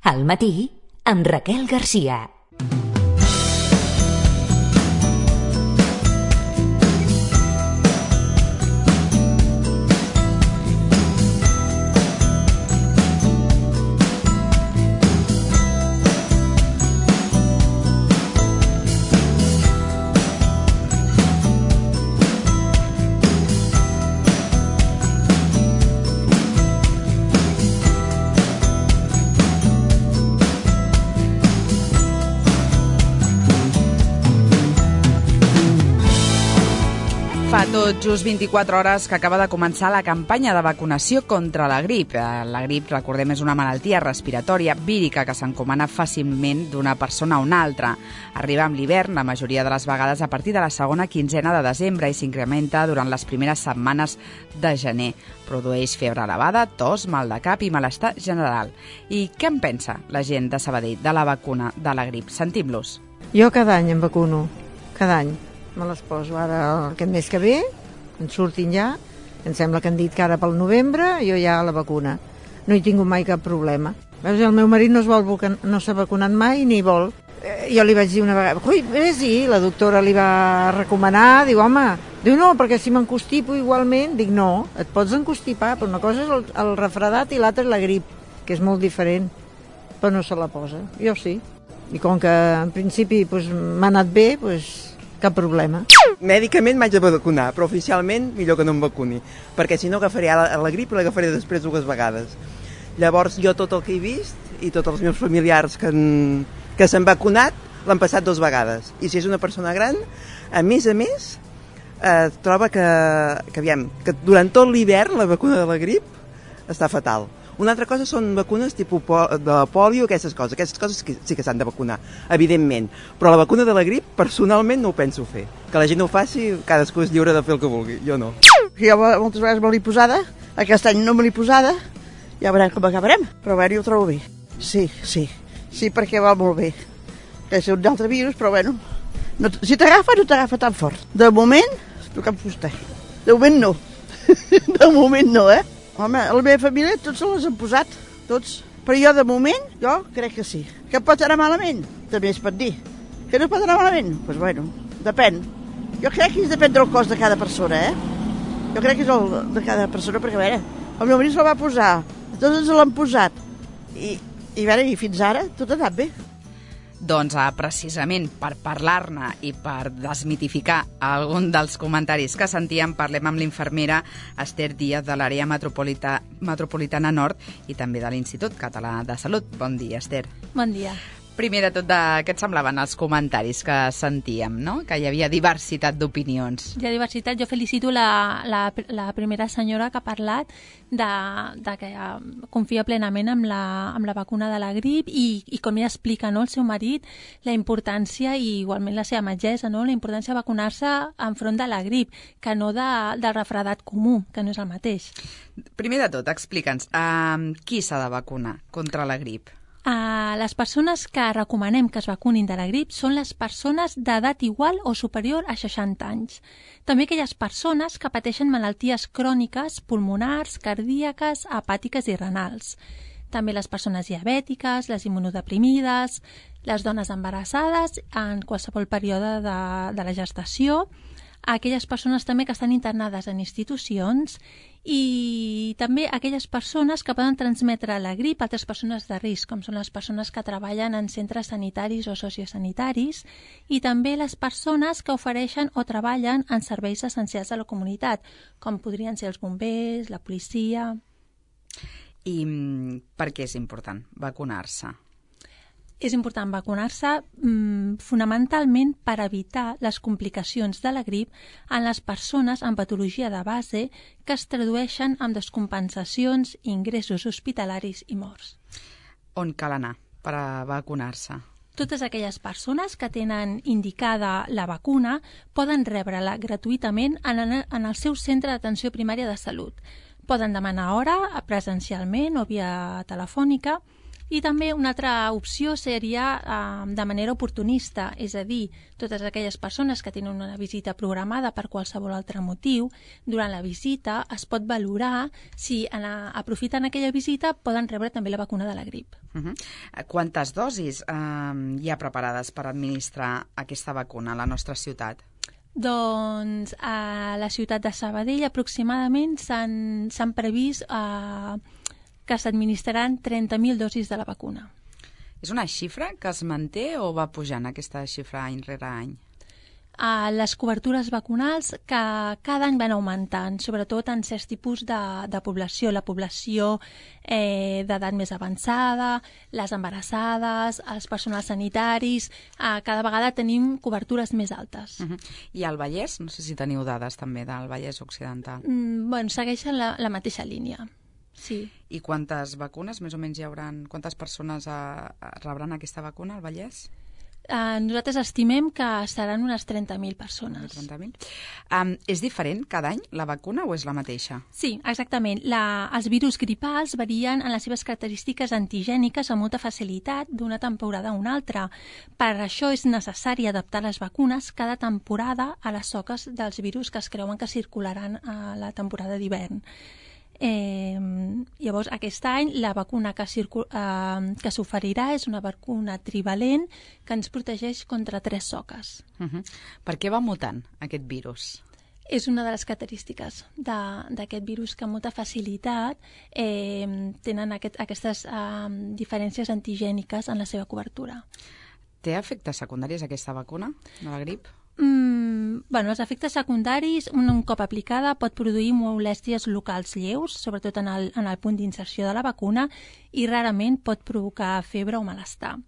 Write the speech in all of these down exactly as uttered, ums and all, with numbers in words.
Al matí, amb Raquel Garcia. Fa tot just vint-i-quatre hores que acaba de començar la campanya de vacunació contra la grip. La grip, recordem, és una malaltia respiratòria vírica que s'encomana fàcilment d'una persona a una altra. Arriba amb l'hivern, la majoria de les vegades a partir de la segona quinzena de desembre i s'incrementa durant les primeres setmanes de gener. Produeix febre elevada, tos, mal de cap i malestar general. I què en pensa la gent de Sabadell de la vacuna de la grip? Sentim-los. Jo cada any em vacuno, cada any. Me les poso ara aquest mes que ve, en surtin ja, em sembla que han dit que ara pel novembre, jo ja la vacuna. No he tingut mai cap problema. Veus, el meu marit no es vol no s'ha vacunat mai ni vol. Eh, jo li vaig dir una vegada, ui, vés-hi, la doctora li va recomanar, diu, home, diu no, perquè si m'encostipo igualment, dic no, et pots encostipar, però una cosa és el, el refredat i l'altra és la grip, que és molt diferent, però no se la posa, jo sí. I com que en principi pues, m'ha anat bé, pues, cap problema. Mèdicament m'haig de vacunar, però oficialment millor que no em vacuni, perquè si no agafaré la, la grip i l'agafaré després dues vegades. Llavors jo tot el que he vist i tots els meus familiars que, han, que s'han vacunat l'han passat dues vegades. I si és una persona gran, a més a més, eh, troba que, que, aviam, que durant tot l'hivern la vacuna de la grip està fatal. Una altra cosa són vacunes tipus de pòlio, aquestes coses. Aquestes coses sí que s'han de vacunar, evidentment. Però la vacuna de la grip, personalment, no ho penso fer. Que la gent ho faci, cadascú és lliure de fer el que vulgui. Jo no. Jo moltes vegades me l'he posada, aquest any no me l'he posada, ja veurem com acabarem. Però bé, jo ho trobo bé. Sí, sí. Sí, perquè va molt bé. Que és un altre virus, però bueno. No, si t'agafa, no t'agafa tan fort. De moment, toca'm fusta. De moment no. De moment no, eh? Home, a la meva família tots se les han posat, tots. Però jo, de moment, jo crec que sí. Que pot anar malament? També es pot dir. Que no pot anar malament? Doncs pues bueno, depèn. Jo crec que depèn del cos de cada persona, eh? Jo crec que és el de cada persona, perquè a veure, el meu marit se'l va posar, tots ens l'han posat. I, i, a veure, i fins ara tot ha anat bé. Doncs eh, precisament per parlar-ne i per desmitificar algun dels comentaris que sentíem, parlem amb l'infermera Esther Díaz de l'àrea metropolita, metropolitana nord i també de l'Institut Català de Salut. Bon dia, Esther. Bon dia. Primer de tot, de, què et semblaven els comentaris que sentíem, no? Que hi havia diversitat d'opinions. Hi ha diversitat. Jo felicito la, la, la primera senyora que ha parlat de, de que confia plenament amb la, amb la vacuna de la grip i, i com ja explica, no, el seu marit, la importància, i igualment la seva metgessa, no, la importància de vacunar-se enfront de la grip, que no de, del refredat comú, que no és el mateix. Primer de tot, explica'ns, uh, qui s'ha de vacunar contra la grip? Uh, les persones que recomanem que es vacunin de la grip són les persones d'edat igual o superior a seixanta anys. També aquelles persones que pateixen malalties cròniques, pulmonars, cardíaques, hepàtiques i renals. També les persones diabètiques, les immunodeprimides, les dones embarassades en qualsevol període de, de la gestació, aquelles persones també que estan internades en institucions i també aquelles persones que poden transmetre la grip a altres persones de risc, com són les persones que treballen en centres sanitaris o sociosanitaris i també les persones que ofereixen o treballen en serveis essencials a la comunitat, com podrien ser els bombers, la policia. I per què és important vacunar-se? És important vacunar-se mmm, fonamentalment per evitar les complicacions de la grip en les persones amb patologia de base que es tradueixen en descompensacions, ingressos hospitalaris i morts. On cal anar per a vacunar-se? Totes aquelles persones que tenen indicada la vacuna poden rebre-la gratuïtament en, en el seu centre d'atenció primària de salut. Poden demanar hora presencialment o via telefònica I també una altra opció seria eh, de manera oportunista, és a dir, totes aquelles persones que tenen una visita programada per qualsevol altre motiu, durant la visita es pot valorar si en a, aprofiten aquella visita poden rebre també la vacuna de la grip. Uh -huh. Quantes dosis eh, hi ha preparades per administrar aquesta vacuna a la nostra ciutat? Doncs a la ciutat de Sabadell aproximadament s'han previst eh, que s'administraran trenta mil dosis de la vacuna. És una xifra que es manté o va pujant aquesta xifra any rere any? Uh, les cobertures vacunals que cada any van augmentant, sobretot en certs tipus de, de població, la població eh, d'edat més avançada, les embarassades, els personals sanitaris, uh, cada vegada tenim cobertures més altes. Uh -huh. I al Vallès? No sé si teniu dades també del Vallès Occidental. Mm, bueno, segueixen la, la mateixa línia. Sí. I quantes vacunes més o menys hi haurà? Quantes persones uh, rebran aquesta vacuna al Vallès? Uh, nosaltres estimem que seran unes trenta mil persones. trenta mil. Um, és diferent cada any la vacuna o és la mateixa? Sí, exactament. La, els virus gripals varien en les seves característiques antigèniques amb molta facilitat d'una temporada a una altra. Per això és necessari adaptar les vacunes cada temporada a les soques dels virus que es creuen que circularan a la temporada d'hivern. Eh, llavors, aquest any la vacuna que, eh, que s'oferirà és una vacuna trivalent que ens protegeix contra tres soques. Uh -huh. Per què va mutant aquest virus? És una de les característiques d'aquest virus que amb molta facilitat eh, tenen aquest, aquestes eh, diferències antigèniques en la seva cobertura. Té efectes secundaris aquesta vacuna de la grip? Mm, bueno, els efectes secundaris, un, un cop aplicada, pot produir molèsties locals lleus, sobretot en el, en el punt d'inserció de la vacuna, i rarament pot provocar febre o malestar.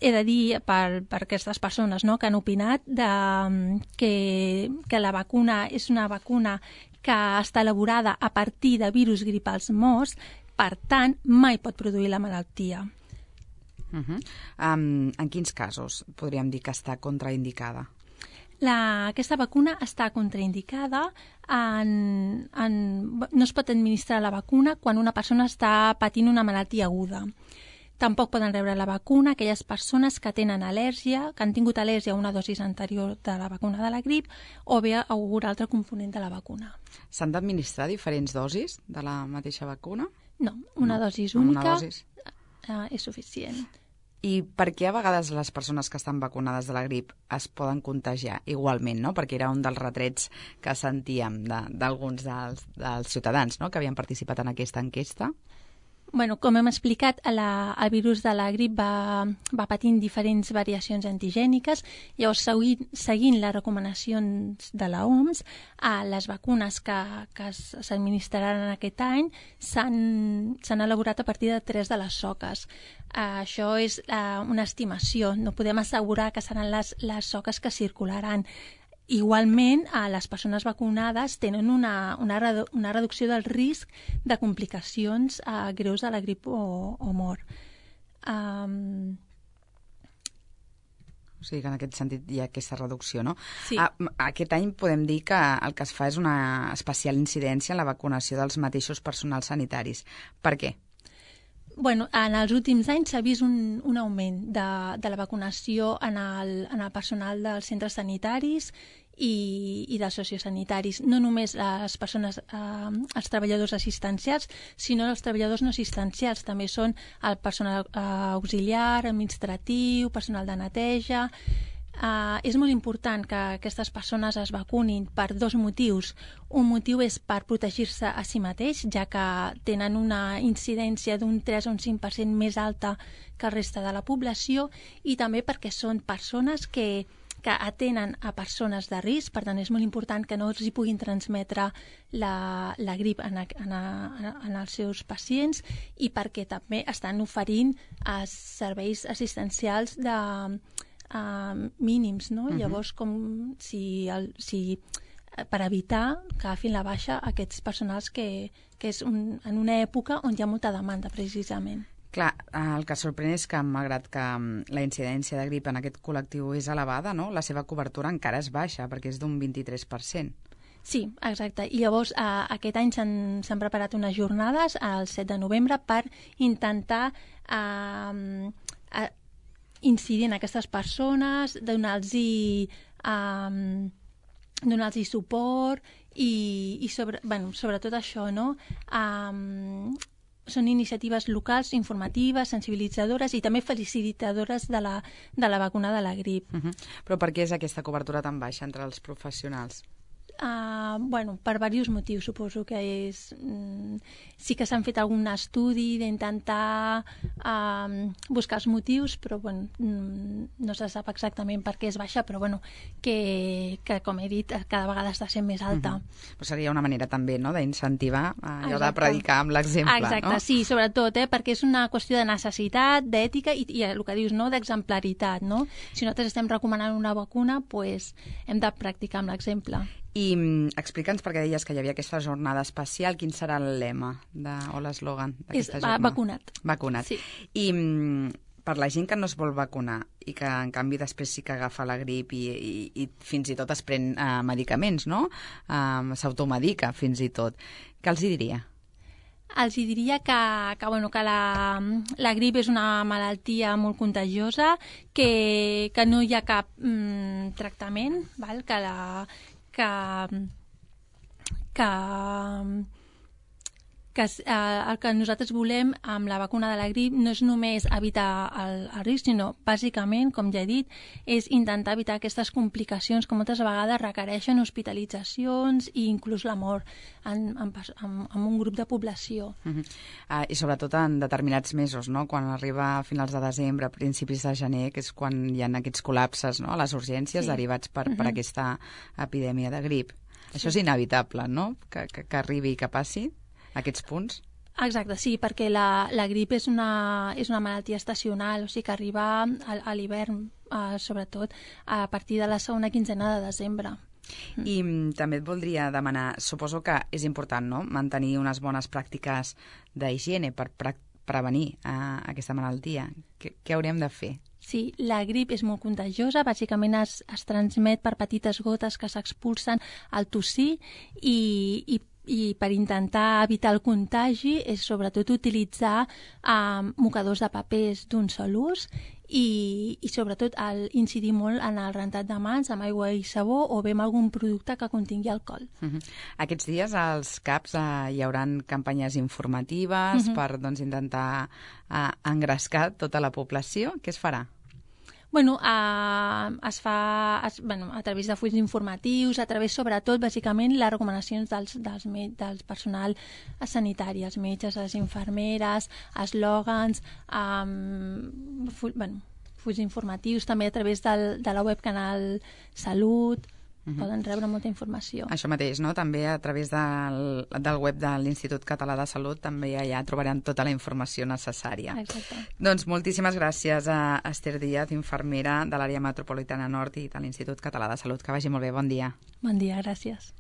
He de dir per, per aquestes persones, no?, que han opinat de, que, que la vacuna és una vacuna que està elaborada a partir de virus gripals morts, per tant, mai pot produir la malaltia. Uh -huh. um, en quins casos podríem dir que està contraindicada? La, aquesta vacuna està contraindicada en, en... No es pot administrar la vacuna quan una persona està patint una malaltia aguda. Tampoc poden rebre la vacuna aquelles persones que tenen al·lèrgia, que han tingut al·lèrgia a una dosis anterior de la vacuna de la grip o bé a algun altre component de la vacuna. S'han d'administrar diferents dosis de la mateixa vacuna? No, una no. dosis única una dosis. Uh, és suficient. I per què a vegades les persones que estan vacunades de la grip es poden contagiar igualment, no? Perquè era un dels retrets que sentíem d'alguns de, dels, dels ciutadans, no?, que havien participat en aquesta enquesta. Bueno, com hem explicat, la, el virus de la grip va, va patint diferents variacions antigèniques. Llavors, seguint, seguint les recomanacions de l'O M S, a les vacunes que, que s'administraran aquest any s'han elaborat a partir de tres de les soques. Uh, això és uh, una estimació. No podem assegurar que seran les, les soques que circularan. Igualment, a les persones vacunades tenen una, una, redu una reducció del risc de complicacions uh, greus de la grip o, o mort. Um... O sigui que en aquest sentit hi ha aquesta reducció, no? Sí. Ah, aquest any podem dir que el que es fa és una especial incidència en la vacunació dels mateixos personals sanitaris. Per què? Bueno, en els últims anys s'ha vist un, un augment de, de la vacunació en el, en el personal dels centres sanitaris i, i dels sociosanitaris. No només les persones, eh, els treballadors assistencials, sinó els treballadors no assistencials. També són el personal eh, auxiliar, administratiu, personal de neteja. Uh, és molt important que aquestes persones es vacunin per dos motius. Un motiu és per protegir-se a si mateix, ja que tenen una incidència d'un tres o un cinc per cent més alta que el reste de la població, i també perquè són persones que, que atenen a persones de risc, per tant és molt important que no els hi puguin transmetre la, la grip en, a, en, a, en els seus pacients, i perquè també estan oferint uh, serveis assistencials de Uh, mínims, no? Uh-huh. Llavors, com si, el, si per evitar que agafin la baixa aquests personals que, que és un, en una època on hi ha molta demanda, precisament. Clar, el que sorprèn és que, malgrat que la incidència de grip en aquest col·lectiu és elevada, no?, la seva cobertura encara és baixa, perquè és d'un vint-i-tres per cent. Sí, exacte. I llavors eh, aquest any s'han preparat unes jornades el set de novembre per intentar eh, eh, incidir en aquestes persones, donar-los eh, donar-los suport i, i sobre, bueno, sobretot això, no? Um, són iniciatives locals, informatives, sensibilitzadores i també felicitadores de la, de la vacuna de la grip. Uh -huh. Però per què és aquesta cobertura tan baixa entre els professionals? Uh, bueno, per diversos motius, suposo que és... Mm, sí que s'han fet algun estudi d'intentar uh, buscar els motius, però bueno, mm, no se sap exactament per què és baixa, però bueno, que, que com he dit, cada vegada està sent més alta. Uh -huh. Però seria una manera també, no?, d'incentivar allò de predicar amb l'exemple, Exacte, no? sí, sobretot, eh, perquè és una qüestió de necessitat, d'ètica i, i el que dius, no?, d'exemplaritat, no? Si nosaltres estem recomanant una vacuna, pues, hem de practicar amb l'exemple. I mm, explica'ns, perquè deies que hi havia aquesta jornada especial, quin serà el lema de, o l'eslògan d'aquesta jornada? Vacunat. Vacunat. Sí. I mm, per la gent que no es vol vacunar i que en canvi després sí que agafa la grip i, i, i fins i tot es pren uh, medicaments, no? Uh, S'automedica fins i tot. Què els hi diria? Els diria que, que, bueno, que la, la grip és una malaltia molt contagiosa, que, que no hi ha cap mm, tractament, val? que la que, que, que eh, el que nosaltres volem amb la vacuna de la grip no és només evitar el, el risc, sinó bàsicament, com ja he dit, és intentar evitar aquestes complicacions que moltes vegades requereixen hospitalitzacions i inclús la mort en, en, en, en un grup de població. Uh -huh. uh, I sobretot en determinats mesos, no? Quan arriba a finals de desembre, principis de gener, que és quan hi ha aquests col·lapses, no?, a les urgències, sí, derivats per, uh -huh. per aquesta epidèmia de grip. Sí. Això és inevitable, no?, que, que, que arribi i que passi aquests punts? Exacte, sí, perquè la, la grip és una, és una malaltia estacional, o sigui que arriba a, a l'hivern, eh, sobretot a partir de la segona quinzena de desembre. I mm, també et voldria demanar, suposo que és important, no?, mantenir unes bones pràctiques d'higiene per pre prevenir eh, aquesta malaltia. Què, què hauríem de fer? Sí, la grip és molt contagiosa, bàsicament es, es transmet per petites gotes que s'expulsen al tossir i, i i per intentar evitar el contagi és sobretot utilitzar eh, mocadors de papers d'un sol ús i, i sobretot el, incidir molt en el rentat de mans amb aigua i sabó o bé amb algun producte que contingui alcohol. Uh -huh. Aquests dies als C A Ps eh, hi hauran campanyes informatives uh -huh. per doncs, intentar eh, engrescar tota la població. Què es farà? Bueno, eh, es fa es, bueno, a través de fulls informatius, a través, sobretot, bàsicament, les recomanacions dels, dels, dels personal sanitari, els metges, les infermeres, eslògans, eh, full, bueno, fulls informatius, també a través del, de la web Canal Salut. Uh-huh. Poden rebre molta informació. Això mateix, no? També a través del, del web de l'Institut Català de Salut també allà trobaran tota la informació necessària. Exacte. Doncs moltíssimes gràcies a Esther Díaz, infermera de l'àrea metropolitana nord i de l'Institut Català de Salut. Que vagi molt bé, bon dia. Bon dia, gràcies.